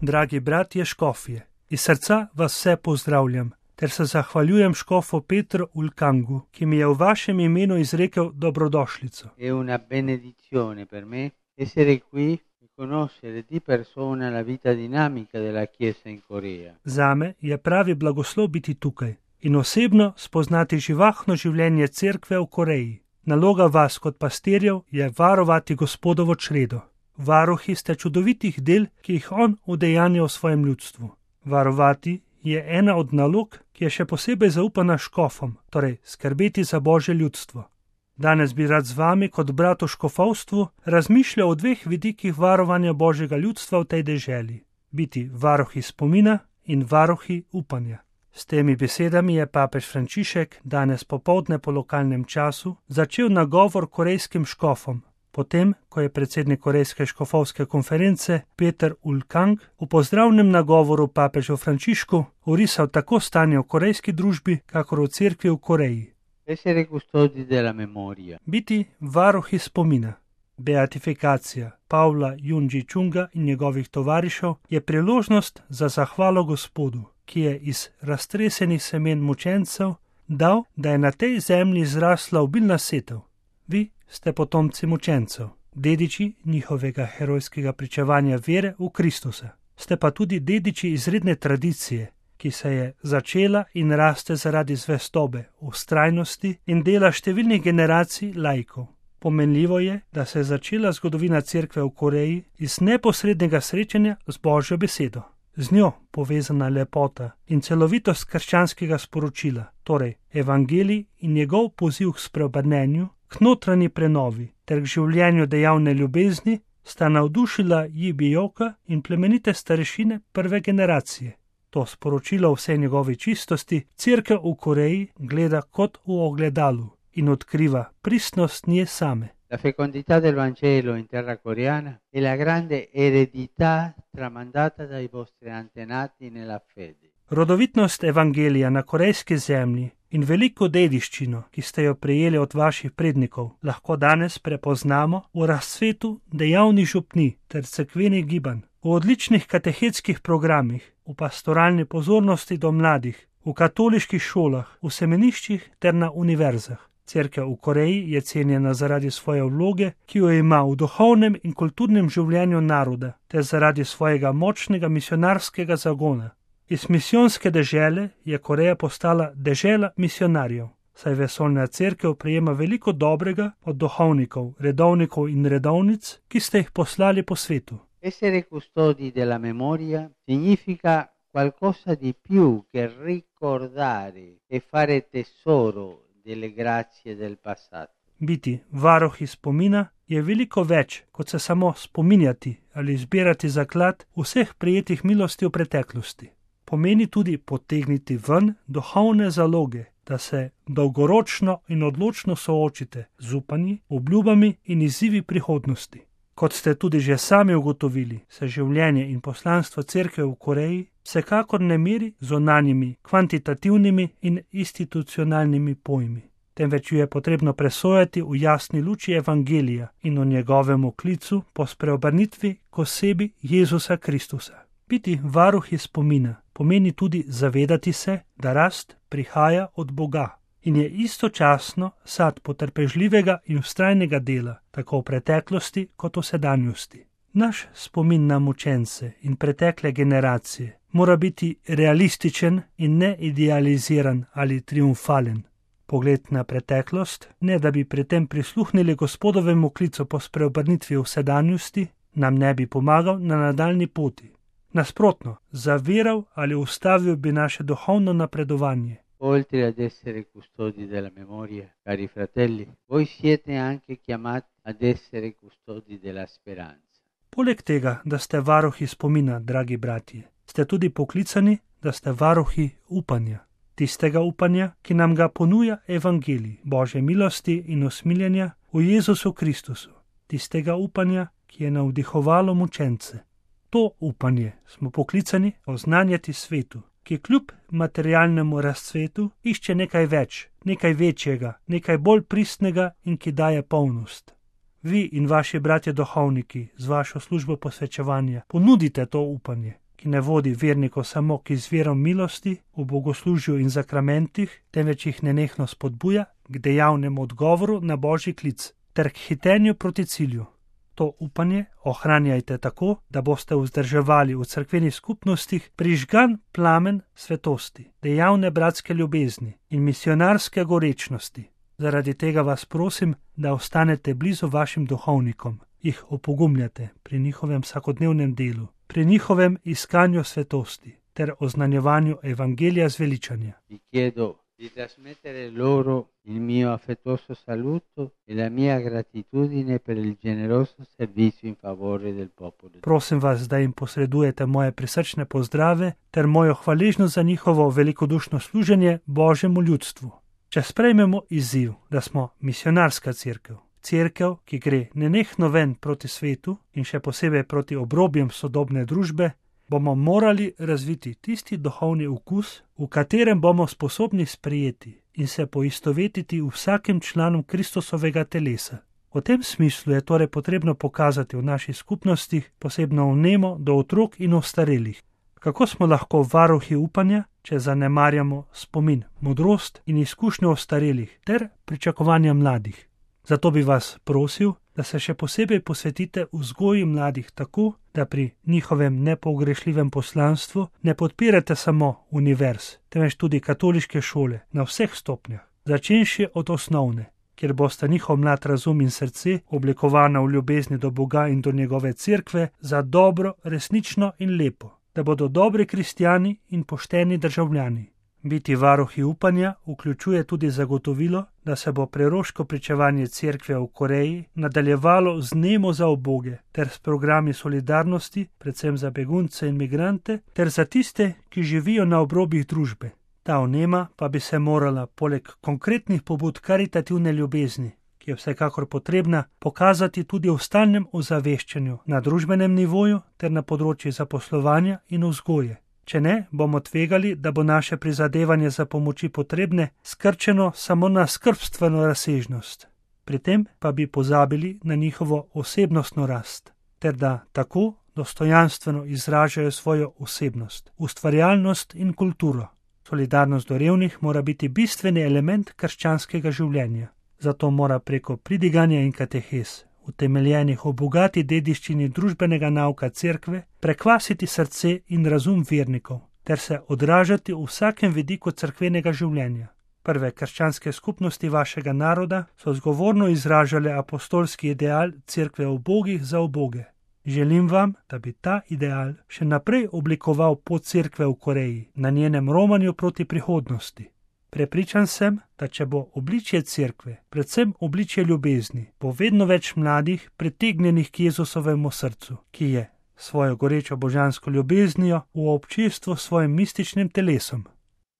Dragi bratje škofje, iz srca vas vse pozdravljam, ter se zahvaljujem škofu Petru Ulkangu, ki mi je v vašem imenu izrekel dobrodošlico. È una benedizione per me essere qui e conoscere di persona la vita dinamica della Chiesa in Corea. Zame je pravi blagoslov biti tukaj in osebno spoznati živahno življenje cerkve v Koreji. Naloga vas kot pastirjev je varovati Gospodovo čredo. Varuhi ste čudovitih del, ki jih on udejanja v svojem ljudstvu. Varovati je ena od nalog, ki je še posebej zaupana škofom, torej skrbeti za Božje ljudstvo. Danes bi rad z vami kot brat v škofovstvu razmišljal o dveh vidikih varovanja Božjega ljudstva v tej deželi. Biti varuhi spomina in varuhi upanja. S temi besedami je papež Frančišek danes popoldne po lokalnem času začel nagovor korejskim škofom, potem, ko je predsednik Korejske škofovske konference Peter Ulkang v pozdravnem nagovoru papežu Frančišku orisal tako stanje v korejski družbi, kakor v cerkvi v Koreji. Essere custodi della memoria. Biti varuhi spomina. Beatifikacija Pavla Junji Chunga in njegovih tovarišev je priložnost za zahvalo Gospodu, ki je iz raztresenih semen mučencev dal, da je na tej zemlji zrasla obilna setev. Vi ste potomci mučencev, dediči njihovega herojskega pričevanja vere v Kristusa. Ste pa tudi dediči izredne tradicije, ki se je začela in raste zaradi zvestobe, vztrajnosti in dela številnih generacij laikov. Pomenljivo je, da se je začela zgodovina cerkve v Koreji iz neposrednega srečanja z Božjo besedo. Z njo povezana lepota in celovitost krščanskega sporočila, torej evangelij in njegov poziv k spreobrnenju, k notranji prenovi ter k življenju dejavne ljubezni, sta navdušila Jibijoka in plemenite starešine prve generacije. To sporočilo vsej njegovi čistosti cerkev v Koreji gleda kot v ogledalu in odkriva pristnost nje same. La fecondità del Vangelo in terra coreana è la grande eredità tramandata dai vostri antenati nella fede. Rodovitnost evangelija na korejski zemlji in veliko dediščino, ki ste jo prejeli od vaših prednikov, lahko danes prepoznamo v razcvetu dejavnih župni ter cerkvenih gibanj, v odličnih katehetskih programih, v pastoralni pozornosti do mladih, v katoliških šolah, v semeniščih ter na univerzah. Cerkev v Koreji je cenjena zaradi svoje vloge, ki jo ima v duhovnem in kulturnem življenju naroda, ter zaradi svojega močnega misionarskega zagona. Iz misijonske dežele je Koreja postala dežela misionarjev, saj vesoljna cerkev prejema veliko dobrega od duhovnikov, redovnikov in redovnic, ki ste jih poslali po svetu. Essere custodi della memoria significa qualcosa di più che ricordare e fare tesoro delle grazie del passato. Biti varuhi spomina je veliko več, kot se samo spominjati ali zbirati zaklad vseh prijetih milosti v preteklosti. Pomeni tudi potegniti ven duhovne zaloge, da se dolgoročno in odločno soočite z upanji, obljubami in izzivi prihodnosti. Kot ste tudi že sami ugotovili, se življenje in poslanstvo cerkve v Koreji vsekakor ne meri z zunanjimi, kvantitativnimi in institucionalnimi pojmi, temveč jo je potrebno presojati v jasni luči evangelija in o njegovem klicu po spreobrnitvi k osebi Jezusa Kristusa. Biti varuhi spomina pomeni tudi zavedati se, da rast prihaja od Boga in je istočasno sad potrpežljivega in vztrajnega dela, tako v preteklosti kot v sedanjosti. Naš spomin na mučence in pretekle generacije mora biti realističen in ne idealiziran ali triumfalen. Pogled na preteklost, ne da bi pri tem prisluhnili Gospodovemu klicu po spreobrnitvi v sedanjosti, nam ne bi pomagal na nadaljni poti. Nasprotno, zaviral ali ustavil bi naše duhovno napredovanje. Oltre ad essere custodi della memoria, cari fratelli, voi siete anche chiamati ad essere custodi della speranza. Poleg tega, da ste varuhi spomina, dragi bratje, ste tudi poklicani, da ste varuhi upanja. Tistega upanja, ki nam ga ponuja evangelij, Božje milosti in usmiljenja v Jezusu Kristusu. Tistega upanja, ki je navdihovalo mučence. To upanje smo poklicani oznanjati svetu, ki kljub materialnemu razcvetu išče nekaj več, nekaj večjega, nekaj bolj pristnega in ki daje polnost. Vi in vaši bratje duhovniki z vašo službo posvečevanja ponudite to upanje, ki ne vodi vernikov samo k izvirom milosti v bogoslužju in zakramentih, temveč jih nenehno spodbuja k dejavnemu odgovoru na božji klic ter k hitenju proti cilju. To upanje ohranjajte tako, da boste vzdrževali v cerkvenih skupnostih prižgan plamen svetosti, dejavne bratske ljubezni in misionarske gorečnosti. Zaradi tega vas prosim, da ostanete blizu vašim duhovnikom, jih opogumljate pri njihovem vsakodnevnem delu, pri njihovem iskanju svetosti ter oznanjevanju evangelija zveličanja. Di trasmettere loro il mio affettuoso saluto e la mia gratitudine per il generoso servizio in favore del popolo. Prosim vas, da jim posredujete moje prisrčne pozdrave ter mojo hvaležnost za njihovo velikodušno služenje Božjemu ljudstvu. Če sprejmemo izziv, da smo misionarska cerkev, cerkev, ki gre nenehno ven proti svetu in še posebej proti obrobjem sodobne družbe, bomo morali razviti tisti duhovni okus, v katerem bomo sposobni sprejeti in se poistovetiti vsakim članom Kristusovega telesa. V tem smislu je torej potrebno pokazati v naših skupnostih posebno vnemo do otrok in ostarelih. Kako smo lahko varuhi upanja, če zanemarjamo spomin, modrost in izkušnjo ostarelih ter pričakovanja mladih? Zato bi vas prosil, da se še posebej posvetite vzgoji mladih tako, da pri njihovem nepogrešljivem poslanstvu ne podpirate samo univerz, temveč tudi katoliške šole na vseh stopnjah, začenši od osnovne, kjer bosta njihov mlad razum in srce oblikovana v ljubezni do Boga in do njegove cerkve za dobro, resnično in lepo, da bodo dobri kristjani in pošteni državljani. Biti varuhi upanja vključuje tudi zagotovilo, da se bo preroško pričevanje cerkve v Koreji nadaljevalo z nemo za uboge ter s programi solidarnosti, predvsem za begunce in migrante, ter za tiste, ki živijo na obrobjih družbe. Ta vnema pa bi se morala poleg konkretnih pobud karitativne ljubezni, ki je vsekakor potrebna, pokazati tudi v stalnem ozaveščanju na družbenem nivoju ter na področju zaposlovanja in vzgoje. Če ne, bomo tvegali, da bo naše prizadevanje za pomoči potrebne skrčeno samo na skrbstveno razsežnost. Pri tem pa bi pozabili na njihovo osebnostno rast, ter da tako dostojanstveno izražajo svojo osebnost, ustvarjalnost in kulturo. Solidarnost do revnih mora biti bistveni element krščanskega življenja. Zato mora preko pridiganja in katehes, utemeljenih v bogati dediščini družbenega nauka cerkve, prekvasiti srce in razum vernikov, ter se odražati v vsakem vidiku cerkvenega življenja. Prve krščanske skupnosti vašega naroda so zgovorno izražale apostolski ideal cerkve ubogih za uboge. Želim vam, da bi ta ideal še naprej oblikoval pot cerkve v Koreji na njenem romanju proti prihodnosti. Prepričan sem, da če bo obličje cerkve, predvsem obličje ljubezni, bo vedno več mladih pritegnjenih k Jezusovemu srcu, ki je svojo gorečo božansko ljubeznijo v občestvu s svojim mističnim telesom.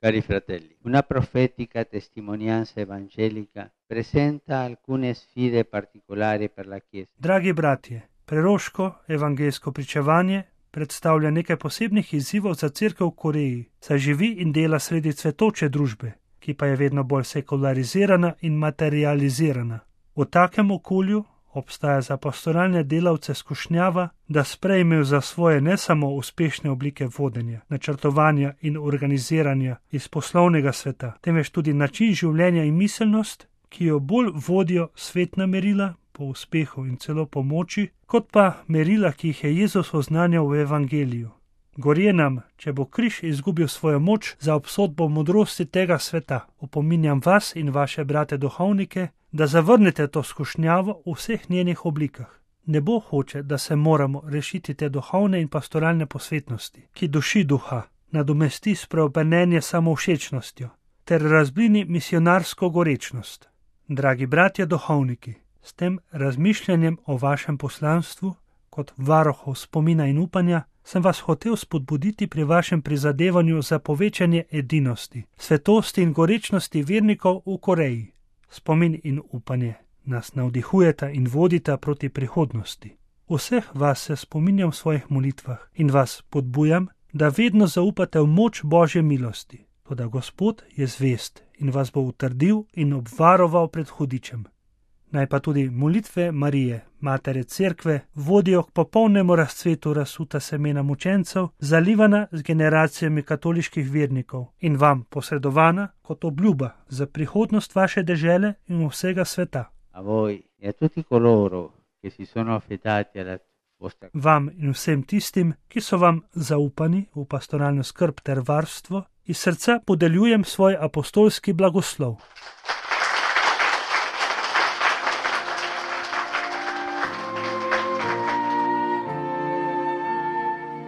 Cari fratelli, una profetica testimonianza evangelica presenta alcune sfide particolari per la Chiesa. Dragi bratje, preroško evangelsko pričevanje predstavlja nekaj posebnih izzivov za cerkev v Koreji, saj živi in dela sredi cvetoče družbe, ki pa je vedno bolj sekularizirana in materializirana. V takem okolju obstaja za pastoralne delavce skušnjava, da sprejmejo za svoje ne samo uspešne oblike vodenja, načrtovanja in organiziranja iz poslovnega sveta, temveč tudi način življenja in miselnost, ki jo bolj vodijo svetna merila po uspehu in celo pomoči, kot pa merila, ki jih je Jezus oznanjal v evangeliju. Gorje nam, če bo križ izgubil svojo moč za obsodbo modrosti tega sveta. Opominjam vas in vaše brate duhovnike, da zavrnete to skušnjavo v vseh njenih oblikah. Nebo hoče, da se moramo rešiti te duhovne in pastoralne posvetnosti, ki duši duha, nadomesti spreobrnenje samovšečnostjo ter razblini misionarsko gorečnost. Dragi bratje duhovniki, s tem razmišljanjem o vašem poslanstvu, kot varuhov spomina in upanja, sem vas hotel spodbuditi pri vašem prizadevanju za povečanje edinosti, svetosti in gorečnosti vernikov v Koreji. Spomin in upanje nas navdihujeta in vodita proti prihodnosti. Vseh vas se spominjam v svojih molitvah in vas podbujam, da vedno zaupate v moč Božje milosti. Toda Gospod je zvest in vas bo utrdil in obvaroval pred hudičem. Naj pa tudi molitve Marije, Matere Cerkve, vodijo k popolnemu razcvetu razsuta semena mučencev, zalivana z generacijami katoliških vernikov in vam posredovana kot obljuba za prihodnost vaše dežele in vsega sveta. A voi e a tutti coloro che si sono affidati alla vostra Vam in vsem tistim, ki so vam zaupani v pastoralno skrb ter varstvo, iz srca podeljujem svoj apostolski blagoslov.